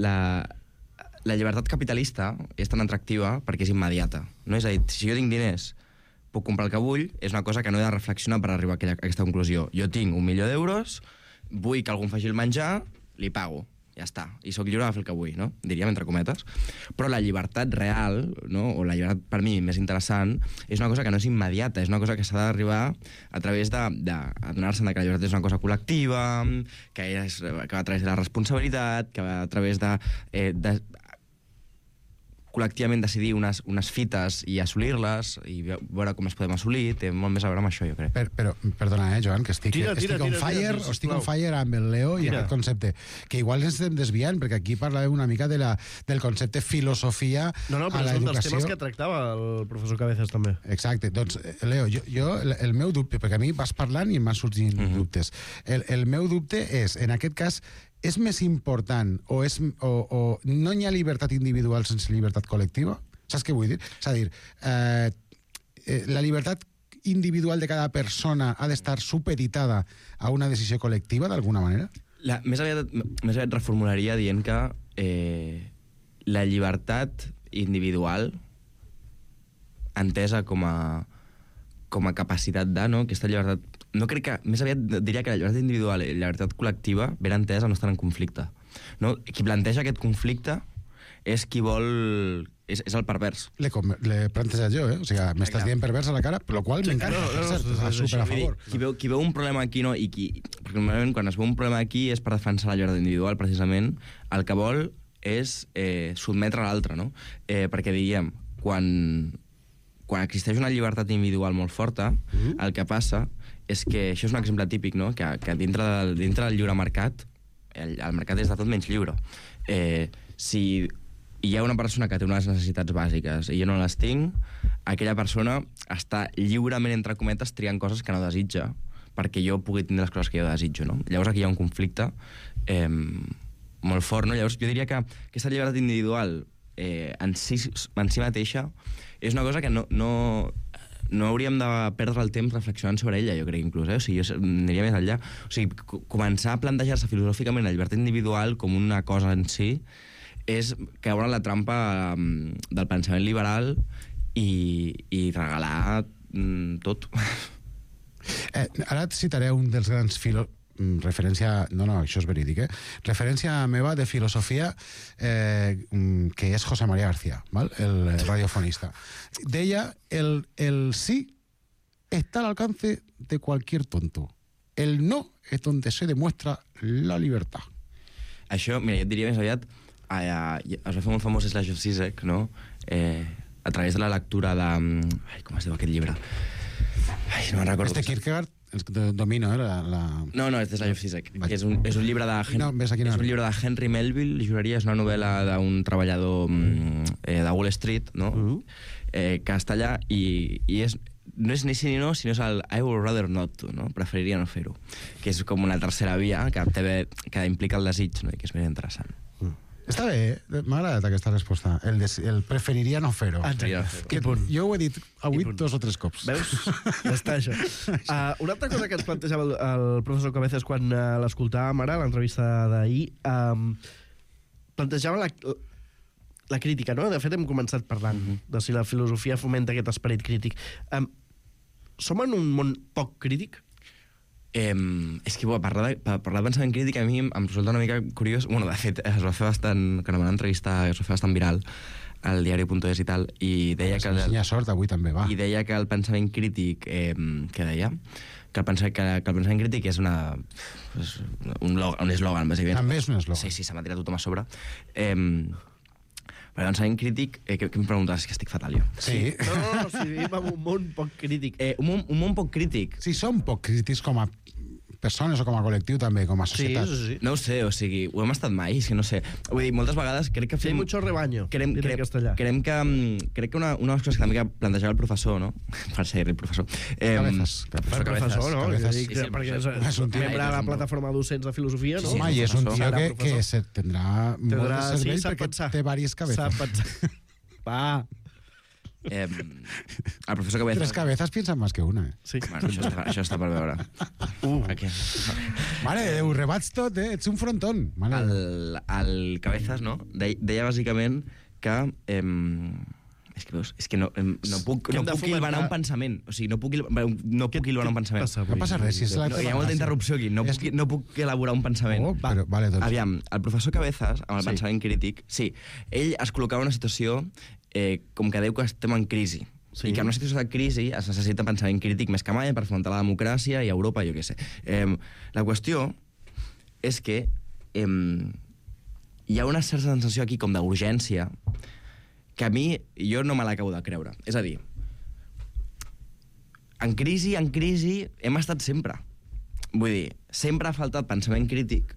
la llibertat capitalista és tan atractiva perquè és immediata, no? És a dir, si jo tinc diners, puc comprar el que vull, és una cosa que no he de reflexionar per arribar a aquesta conclusió. Jo tinc 1.000.000 d'euros, vull que algú em faci el menjar, li pago, ja està. I sóc lliure de fer el que vull, no? Diríem, entre cometes. Però la llibertat real, no? O la llibertat, per mi, més interessant, és una cosa que no és immediata, és una cosa que s'ha d'arribar a través d'adonar-se que la llibertat és una cosa col·lectiva, que va a través de la responsabilitat, que va a través de col·lectivament decidir unes fites i assolir-les i veure com es podem assolir, té molt més a veure amb això, jo crec. Però perdona, Joan, que estic on fire amb el Leo i aquest concepte, que igual ens estem desviant, perquè aquí parlàvem una mica del concepte filosofia a l'educació. No, però és un dels temes que tractava el professor Cabezas també. Exacte. Doncs, Leo, jo el meu dubte, perquè a mi vas parlant i m'han sorgit dubtes. El meu dubte és, en aquest cas, és més important o no hi ha llibertat individual sense llibertat col·lectiva? Saps què vull dir? És a dir, la llibertat individual de cada persona ha d'estar supeditada a una decisió col·lectiva, d'alguna manera? Més aviat reformularia dient que la llibertat individual, entesa com a capacitat de, no? Aquesta llibertat no crec que... Més aviat diria que la llibertat individual i la llibertat col·lectiva, ben entesa, no estan en conflicte. No? Qui planteja aquest conflicte és qui vol... És el pervers. L'he plantejat jo, O sigui, m'estàs dient pervers a la cara, per la qual m'encanta. Super a favor. Qui veu un problema aquí, no? Perquè normalment quan es veu un problema aquí és per defensar la llibertat individual, precisament. El que vol és sotmetre l'altre, no? Perquè, diguem, quan existeix una llibertat individual molt forta, el que passa és que, això és un exemple típic, no? Que dintre del lliure mercat, el mercat és de tot menys lliure. Si hi ha una persona que té unes necessitats bàsiques i jo no les tinc, aquella persona està lliurement, entre cometes, triant coses que no desitja perquè jo pugui tindre les coses que jo desitjo, no? Llavors aquí hi ha un conflicte molt fort, no? Llavors jo diria que aquesta llibertat individual en si mateixa és una cosa que no hauríem de perdre el temps reflexionant sobre ella, jo crec, inclús, O sigui, jo aniria més enllà. O sigui, començar a plantejar-se filosòficament la llibertat individual com una cosa en si és caure en la trampa del pensament liberal i regalar tot. Ara et citaré un dels grans referència... No, això és verídic, referència meva de filosofia que és José María García, ¿vale? El radiofonista. Deia, el sí está al alcance de cualquier tonto. El no es donde se demuestra la libertad. Això, mira, jo et diria més aviat es va fer molt famós Slavoj Žižek, no? A través de la lectura de... com es diu aquest llibre? No me'n recordo. Kierkegaard, domino, No, és de Slavoj Žižek, que és un llibre de Henry Melville, juraria, és una novel·la d'un treballador de Wall Street, no? Que està allà i no és ni sí ni no, sinó és el I would rather not to, no? Preferiria no fer-ho, que és com una tercera via que implica el desig, no? I que és més interessant. Està bé, m'ha agradat aquesta resposta. El preferiria no fer-ho. Jo ho he dit avui 2 o 3 cops. Veus? Ja està, això. Una altra cosa que ens plantejava el professor Cabezas quan l'escoltàvem ara, l'entrevista d'ahir, plantejava la crítica, no? De fet, hem començat parlant de si la filosofia fomenta aquest esperit crític. Som en un món poc crític? És que parlar de pensament crític a mi em resulta una mica curiós. Bueno, de fet, es va fer bastant, quan em van entrevistar, es va fer bastant viral al diari.es i tal, i deia que... sort, avui també, va. I deia que el pensament crític, què deia? Que el pensament crític és un eslògan, bàsicament. També és un eslògan. Sí, se m'ha tirat tothom a sobre. Però el pensament crític, què em preguntes? És que estic fatal, jo. Sí. No, si vivim en un món poc crític. Un món poc crític. Sí, som poc crítics com a persones o com a col·lectiu també, com a societat. Sí. No ho sé, o sigui, ho hem estat mai, és que no sé. Vull dir, moltes vegades crec que fem... Sí, mucho rebaño, en castellà. Crec que una de les coses que també plantejava el professor, no? Per ser el professor. Professor, no? Sí, perquè és un membre de la plataforma docents de filosofia, no? Home, i és un tio que tindrà molt de cervell perquè té diverses cabezas. Sap pensar. Va. El professor Cabezas... 3 cabezas piensan más que una, Sí. Bueno, això està per veure. Aquí. Vale, ho rebats tot, ets un frontón. El Cabezas, no? Deia bàsicament que... És que no puc hilvanar un pensament. O sigui, no puc hilvanar un pensament. No passa res. Hi ha molta interrupció aquí. No puc elaborar un pensament. Aviam, el professor Cabezas, amb el pensament crític, sí, ell es col·locava en una situació com que diu que estem en crisi. I que en una situació de crisi es necessita pensament crític més que mai per afrontar la democràcia i Europa, jo què sé. La qüestió és que hi ha una certa sensació aquí com d'urgència que a mi, jo no me l'acabo de creure. És a dir, en crisi hem estat sempre. Vull dir, sempre ha faltat pensament crític,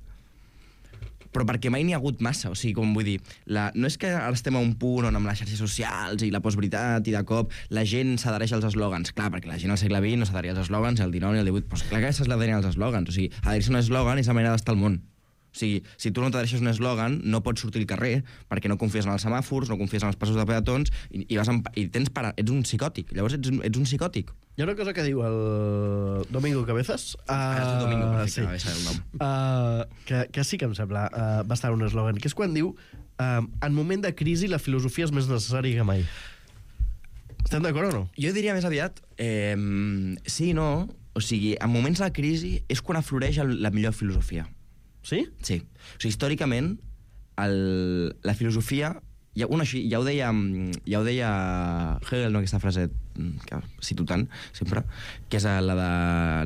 però perquè mai n'hi ha hagut massa. O sigui, com vull dir, no és que ara estem a un punt on amb les xarxes socials i la postveritat i de cop la gent s'adhereix als eslògans. Clar, perquè la gent al segle XX no s'adheria als eslògans, al XIX i al XVIII. Però clar que s'adherien als eslògans. O sigui, adherir-se a un eslògan és la manera d'estar al món. O sigui, si tu no t'adhereixes a un eslògan, no pots sortir al carrer perquè no confies en els semàfors, no confies en els passos de peatons i ets un psicòtic. Llavors ets un psicòtic. Hi ha una cosa que diu el Domingo Cabezas. Que sí que em sembla bastant un eslògan, que és quan diu en moment de crisi la filosofia és més necessària que mai. Estem d'acord o no? Jo diria més aviat sí i no. O O sigui, en moments de crisi és quan afloreix la millor filosofia. Sí? Sí. O sigui, històricament, la filosofia... Ja ho deia Hegel, no, aquesta frase que cito tant, sempre, que és la de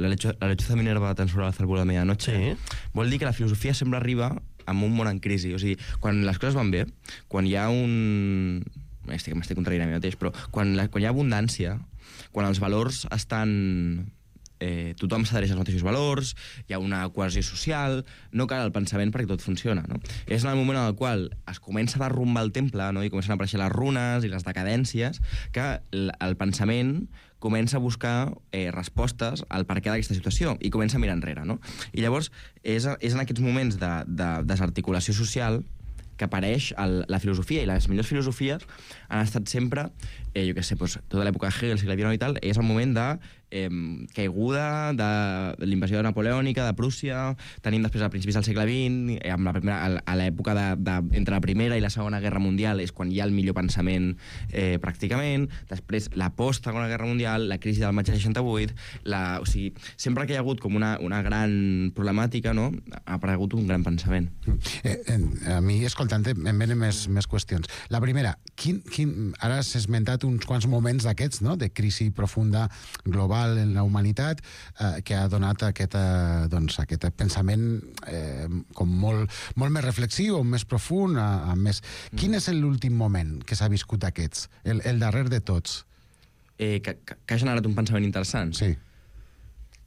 la lechuza Minerva tan sobre la cérvol de medianoche. Sí. Vol dir que la filosofia sempre arriba en un món en crisi. O sigui, quan les coses van bé, quan hi ha m'estic contradient a mi mateix, però quan hi ha abundància, quan els valors estan... tothom s'adhereix als mateixos valors, hi ha una cohesió social, no cal el pensament perquè tot funciona, no? És en el moment en el qual es comença a derrumbar el temple, no? I comencen a aparèixer les runes i les decadències, que el pensament comença a buscar respostes al perquè d'aquesta situació i comença a mirar enrere, no? I llavors és en aquests moments de desarticulació social que apareix la filosofia, i les millors filosofies han estat sempre, jo què sé, tota l'època de Hegel, segle XIX i tal, és el moment de caiguda de l'invasió napoleònica de Prússia, tenim després a principis del segle XX, a l'època entre la Primera i la Segona Guerra Mundial és quan hi ha el millor pensament pràcticament, després la post-Segona Guerra Mundial, la crisi del maig del 68, o sigui, sempre que hi ha hagut com una gran problemàtica, no?, ha aparegut un gran pensament. A mi, escoltant, em venen més qüestions. La primera, ara s'ha esmentat uns quants moments d'aquests, no?, de crisi profunda global en la humanitat, que ha donat aquest pensament com molt més reflexiu, més profund, més... Quin és l'últim moment que s'ha viscut d'aquests? El darrer de tots? Que ha generat un pensament interessant? Sí.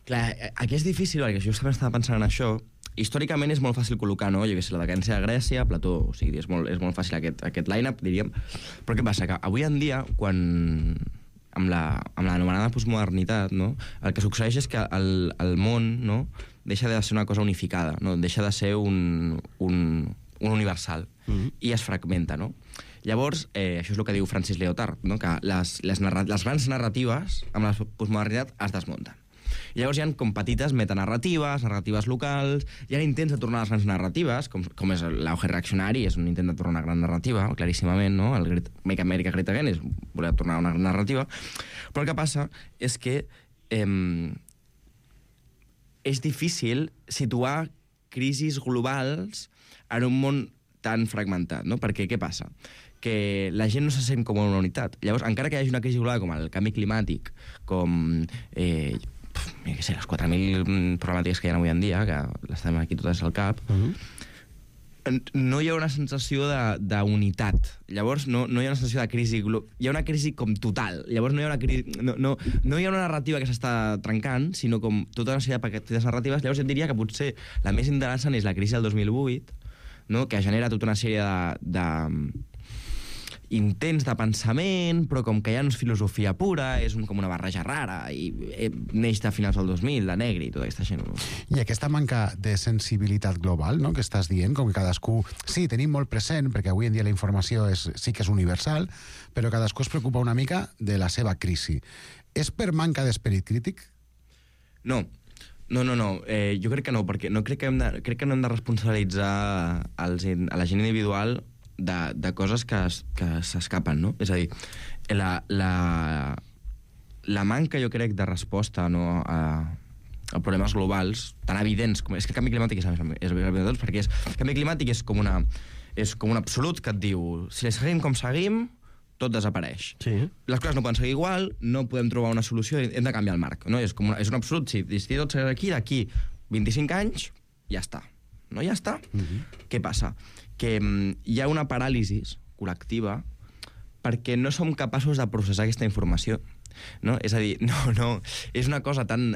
Clar, aquí és difícil, perquè jo també estava pensant en això. Històricament és molt fàcil col·locar, no? Jo què sé, la decadència de Grècia, Plató, o sigui, és molt fàcil aquest line-up, diríem. Però què passa? Que avui en dia, quan... amb l'anomenada postmodernitat, no? El que succeeix és que el món, no?, deixa de ser una cosa unificada, no? Deixa de ser un universal, i es fragmenta, no? Llavors, això és el que diu Francis Lyotard, no?, que les grans narratives amb la postmodernitat es desmunten. I llavors hi ha com petites metanarratives, narratives locals, hi ha intents de tornar a les grans narratives, com és l'auge reaccionari, és un intent de tornar a una gran narrativa, claríssimament, no? El Make America Great Again és voler tornar a una gran narrativa, però el que passa és que és difícil situar crisis globals en un món tan fragmentat, no? Perquè què passa? Que la gent no se sent com una unitat. Llavors, encara que hi hagi una crisi global com el canvi climàtic, com què sé, les 4.000 problemàtiques que hi ha avui en dia, que les tenim aquí totes al cap, no hi ha una sensació d'unitat. Llavors, no hi ha una sensació de crisi... Hi ha una crisi com total. Llavors, no hi ha una crisi... No hi ha una narrativa que s'està trencant, sinó com tota una sèrie de petites narratives. Llavors, jo diria que potser la més interessant és la crisi del 2008, no?, que genera tota una sèrie intents de pensament, però com que ja no és filosofia pura, és com una barreja rara, i neix de finals del 2000, de Negri i tota aquesta gent. I aquesta manca de sensibilitat global, no?, que estàs dient, com que cadascú... Sí, tenim molt present, perquè avui en dia la informació sí que és universal, però cadascú es preocupa una mica de la seva crisi. És per manca d'esperit crític? No. Jo crec que no, perquè crec que no hem de responsabilitzar a la gent individual de coses que s'escapen, no? És a dir, la manca, jo crec, de resposta, no, a problemes globals tan evidents com... És que el canvi climàtic és evident de tots, perquè el canvi climàtic és com un absolut que et diu si seguim com seguim, tot desapareix. Sí. Les coses no poden seguir igual, no podem trobar una solució, hem de canviar el marc, no? És un absolut, si tot segueix d'aquí 25 anys, ja està. No, ja està. Què passa? Que hi ha una paràlisi col·lectiva perquè no som capaços de processar aquesta informació, no? És a dir, no, és una cosa tan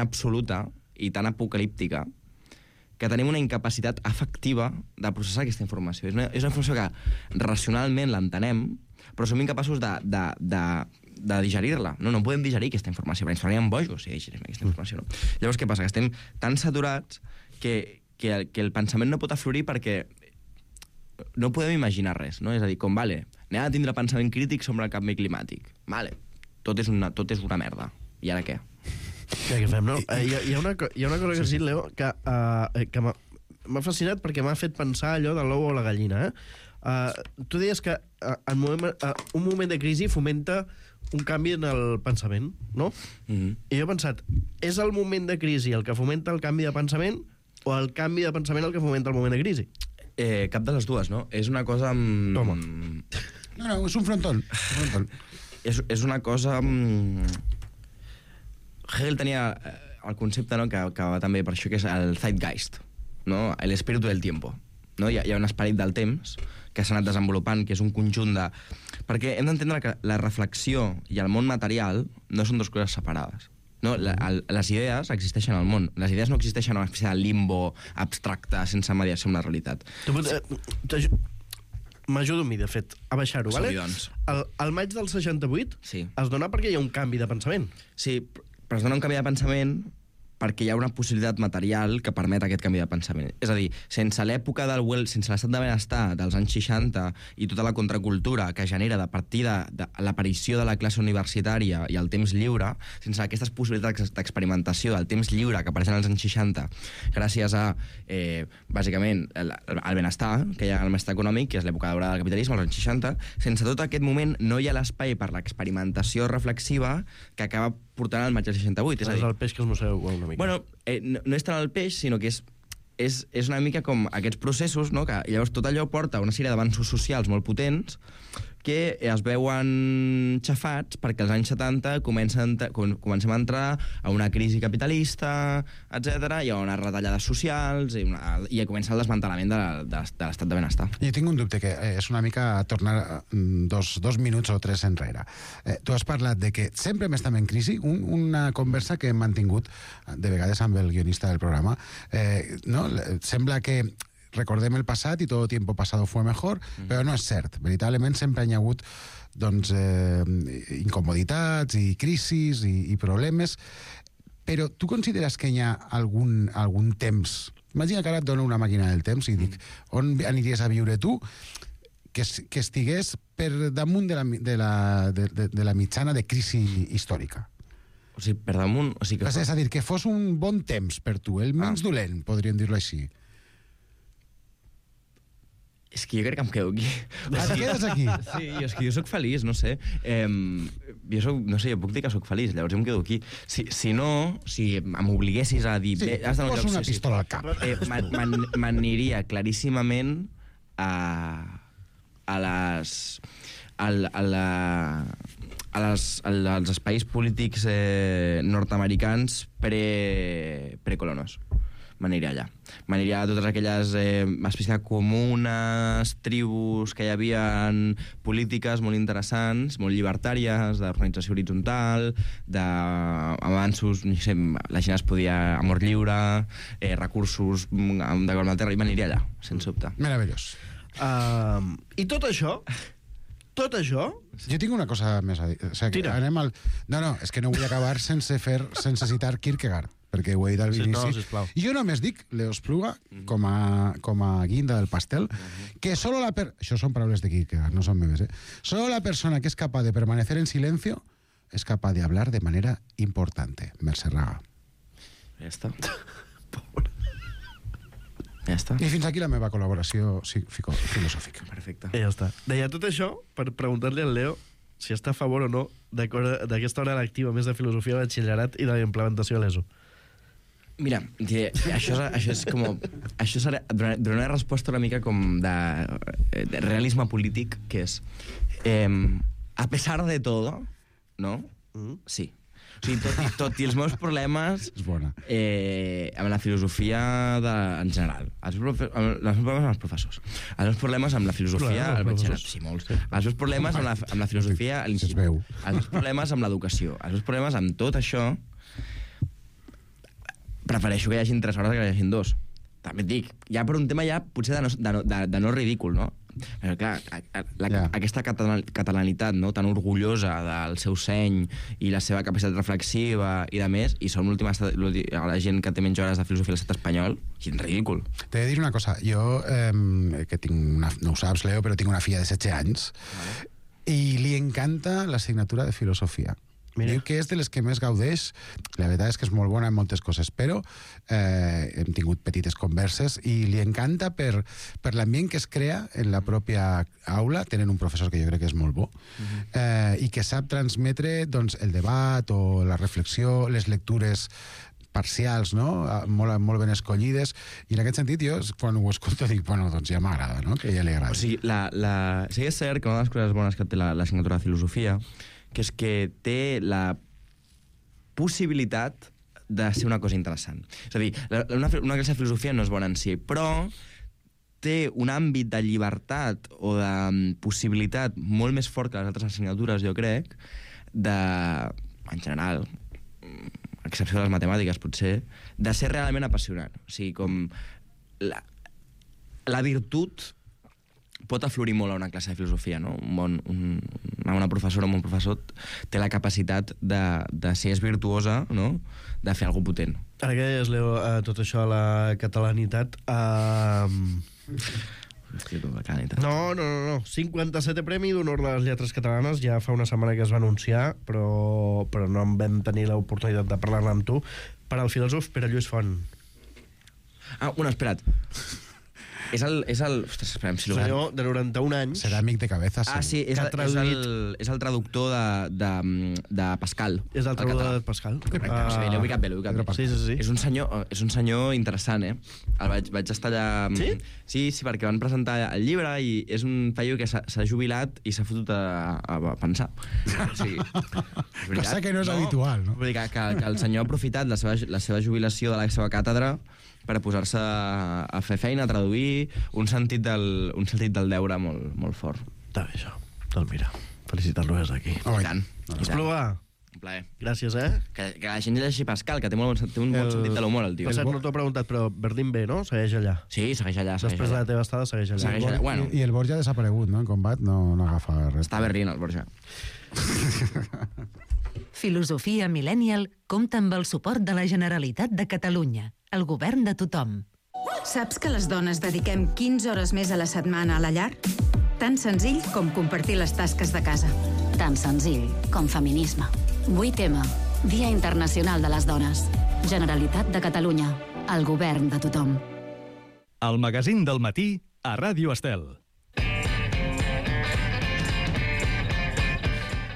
absoluta i tan apocalíptica que tenim una incapacitat afectiva de processar aquesta informació. És una informació que racionalment l'entenem, però som incapaços de digerir-la. No podem digerir aquesta informació, perquè ens faríem bojos si digerim aquesta informació. No? Llavors, què passa? Que estem tan saturats que el pensament no pot aflorir perquè no podem imaginar res, no? És a dir, anem a tindre pensament crític sobre el canvi climàtic. Tot és una merda. I ara què? Què fem, no? Hi ha una cosa que has dit, Leo, que m'ha fascinat perquè m'ha fet pensar allò de l'ou o la gallina, Tu deies que un moment de crisi fomenta un canvi en el pensament, no? I jo he pensat, és el moment de crisi el que fomenta el canvi de pensament o el canvi de pensament el que fomenta el moment de crisi? Cap de les dues, no? És una cosa... Toma. No, és un frontón. És una cosa... Hegel tenia el concepte, no?, que va també per això, que és el Zeitgeist, no? L'espíritu del tiempo. No? Hi ha un esperit del temps que s'ha anat desenvolupant, que és un conjunt de... Perquè hem d'entendre que la reflexió i el món material no són dues coses separades. No? Les idees existeixen al món. Les idees no existeixen en una espècie de limbo abstracte sense mediació amb la realitat. M'ajudo a mi, de fet, a baixar-ho, vale? Doncs. El maig del 68 es dona perquè hi ha un canvi de pensament. Sí, però es dona un canvi de pensament perquè hi ha una possibilitat material que permet aquest canvi de pensament. És a dir, sense l'època sense l'estat de benestar dels anys 60 i tota la contracultura que genera de partir de l'aparició de la classe universitària i el temps lliure, sense aquestes possibilitats d'experimentació del temps lliure que apareixen als anys 60, gràcies a, bàsicament, el benestar que hi ha al benestar econòmic, que és l'època daurada del capitalisme, als anys 60, sense tot aquest moment no hi ha l'espai per l'experimentació reflexiva que acaba portant al maig del 68. És a dir, el peix que es mossega una mica. Bueno, no és tant el peix, sinó que és una mica com aquests processos, no?, que llavors tot allò porta una sèrie d'avanços socials molt potents que es veuen xafats perquè als anys 70 comencem a entrar a una crisi capitalista, etc. Hi ha unes retallades socials i comença el desmantellament de l'estat de benestar. Jo tinc un dubte, que és una mica tornar dos minuts o tres enrere. Tu has parlat de que sempre hem estat en crisi, una conversa que hem mantingut de vegades amb el guionista del programa. No? Sembla que recordem el passat i tot el tiempo pasado fue mejor, però no és cert. Veritablement sempre hi ha hagut incomoditats i crisis i problemes, però tu consideres que hi ha algun temps... Imagina que ara et dono una màquina del temps i dic, on aniries a viure tu que estigués per damunt de la mitjana de crisi històrica? O sigui, per damunt... O sigui, és a dir, que fos un bon temps per tu, el menys dolent, podríem dir-lo així. És que jo crec que em quedo aquí. Et quedes aquí? Sí, és que jo sóc feliç, no sé. Jo puc dir que sóc feliç, llavors jo em quedo aquí. Si no, si m'obliguessis a dir... Sí, posa una pistola al cap. M'aniria claríssimament als espais polítics nord-americans precolonos. M'aniria allà. M'aniria a totes aquelles espècies de comunes, tribus que hi havia polítiques molt interessants, molt llibertàries, d'organització horitzontal, d'avanços, no sé, la gent es podia... amor lliure, recursos de govern de terra, i m'aniria allà, sense dubte. Meravellós. I tot això... Jo tinc una cosa més a dir. O sigui, anem al... No, és que no vull acabar sense citar Kierkegaard, perquè ho he dit al inici. I jo només dic l'Eospluga com a guinda del pastel, que solo això són paraules de Kierkegaard, no són meves, Solo la persona que es capaz de permanecer en silencio es capaz de hablar de manera importante. Mercè Raga. Ja està. Ja està. I fins aquí la meva col·laboració filosòfica. Perfecte. I ja està. Deia tot això per preguntar-li al Leo si està a favor o no d'aquesta hora lectiva més de filosofia de batxillerat i de la implementació a l'ESO. Mira, això és com... Això serà una resposta una mica com de realisme polític, que és a pesar de todo, no? Sí. O sigui, tot i els meus problemes amb la filosofia en general, els meus problemes amb els professors, els meus problemes amb la filosofia al batxillerat, sí, molts, els meus problemes amb la filosofia a l'institut, els meus problemes amb l'educació, els meus problemes amb tot això, prefereixo que hi hagin 3 hores que hi hagin 2. També et dic, ja per un tema ja potser de no ridícul, no? Però clar, aquesta catalanitat, no?, tan orgullosa del seu seny i la seva capacitat reflexiva i de més, i som la gent que té menys hores de filosofia a l'estat espanyol, és ridícul. T'he de dir una cosa, jo que no ho saps, Leo, però tinc una filla de 16 anys i li encanta l'assignatura de filosofia. Diu que és de les que més gaudeix. La veritat és que és molt bona en moltes coses, però hem tingut petites converses i li encanta per l'ambient que es crea en la pròpia aula. Tenen un professor que jo crec que és molt bo i que sap transmetre doncs, el debat o la reflexió, les lectures parcials, no? Molt ben escollides, i en aquest sentit jo, quan ho escolto, dic, bueno, doncs ja m'agrada, no? Que ja li agrada. O sigui, sí que és cert que una de les coses bones que té l'assignatura de filosofia, que és que té la possibilitat de ser una cosa interessant. És a dir, una classe de filosofia no és bona en si, però té un àmbit de llibertat o de possibilitat molt més fort que les altres assignatures, jo crec, en general, a excepció de les matemàtiques, potser, de ser realment apassionant. O sigui, com la virtut pot aflorir molt a una classe de filosofia, no? Una professora o un professor té la capacitat de si és virtuosa, no?, de fer alguna potent. Ara que deies, Leo, tot això a la catalanitat... No. 57è Premi d'Honor de les Lletres Catalanes, ja fa una setmana que es va anunciar, però no en vam tenir l'oportunitat de parlar-ne amb tu, per al filòsof Pere Lluís Font. Espera't. És el... Ostres, esperem, si senyor de 91 anys. Serà amic de cabeza. Sí, és el traductor de Pascal. És el traductor de Pascal. Correcte, l'he ubicat bé. Sí. És un senyor interessant, vaig estar allà... Sí, perquè van presentar el llibre i és un paio que s'ha jubilat i s'ha fotut a pensar. Cosa que no és habitual, no? Vull dir que el senyor ha aprofitat la seva jubilació de la seva càtedra per posar-se a fer feina, a traduir, un sentit del deure molt fort. Està bé, això. Doncs mira, felicitar-lo des d'aquí. I tant. Espluga. Un plaer. Gràcies, Que la gent llegeixi Pascal, que té un bon sentit de l'humor, el tio. Per cert, no t'ho he preguntat, però Berlín B, no? Segueix allà. Sí, segueix allà. Després de la teva estada, segueix allà. I el Borja ha desaparegut, no? En combat no agafa res. Està a Berlín, el Borja. Filosofia Millennial compta amb el suport de la Generalitat de Catalunya, el govern de tothom. Saps que les dones dediquem 15 hores més a la setmana a la llar? Tan senzill com compartir les tasques de casa. Tan senzill com feminisme. 8M, Dia Internacional de les Dones. Generalitat de Catalunya, el govern de tothom. El magazín del matí a Ràdio Estel.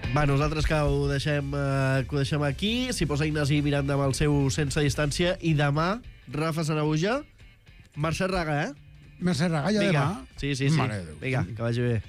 Va, nosaltres que ho deixem aquí. S'hi posa Ignasi Miranda amb el seu Sense Distància. I demà, Rafa Sanahuja, Mercè Raga, Mercè Raga, ja demà? Sí. Vinga, que vagi bé.